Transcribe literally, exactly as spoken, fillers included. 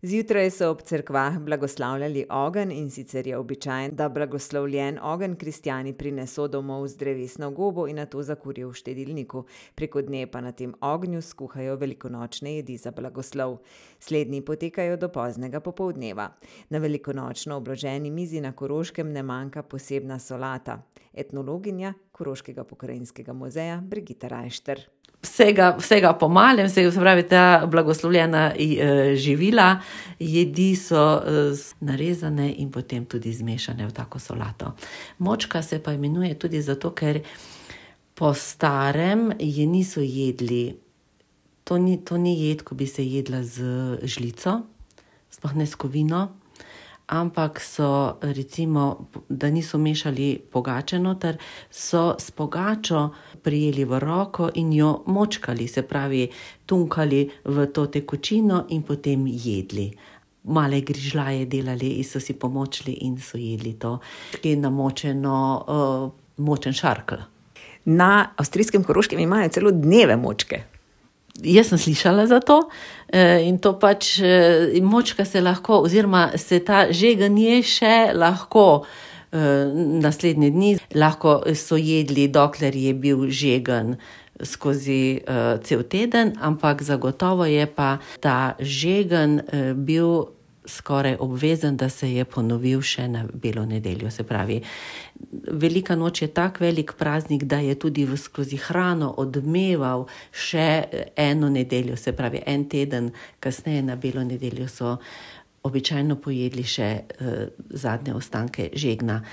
Zjutraj so ob cerkvah blagoslavljali ogenj, in sicer je običajen, da blagoslovljen ogenj kristjani prineso domov z drevesno gobo in nato zakurijo v štedilniku. Preko dne pa na tem ognju skuhajo velikonočne jedi za blagoslov. Slednji potekajo do poznega popoldneva. Na velikonočno obloženi mizi na Koroškem ne manjka posebna solata. Etnologinja Koroškega pokrajinskega muzeja Brigita Rajšter. Vsega, vsega po malem, se pravi, ta blagoslovljena živila, jedi so narezane in potem tudi zmešane v tako solato. Močka se pa imenuje tudi zato, ker po starem je niso jedli. To ni, to ni jed, ko bi se jedla z žlico, sploh ne s kovino, ampak so recimo, da niso mešali pogače noter, so s pogačo prijeli v roko in jo močkali, se pravi, tunkali v to tekočino in potem jedli. Male grižljaje delali in so si pomočili in so jedli to, ki je namočeno, uh, močen šarkelj. Na avstrijskem Koroškem imajo celo dneve močke. Jaz sem slišala za to in to pač močka se lahko, oziroma se ta žeganje še lahko naslednje dni, lahko so jedli, dokler je bil žegan skozi cel teden, ampak zagotovo je pa ta žegan bil skoraj obvezen, da se je ponovil še na belo nedeljo. Se pravi, velika noč je tak velik praznik, da je tudi skozi hrano odmeval še eno nedeljo, se pravi, en teden kasneje na belo nedeljo so običajno pojedli še zadnje ostanke žegna.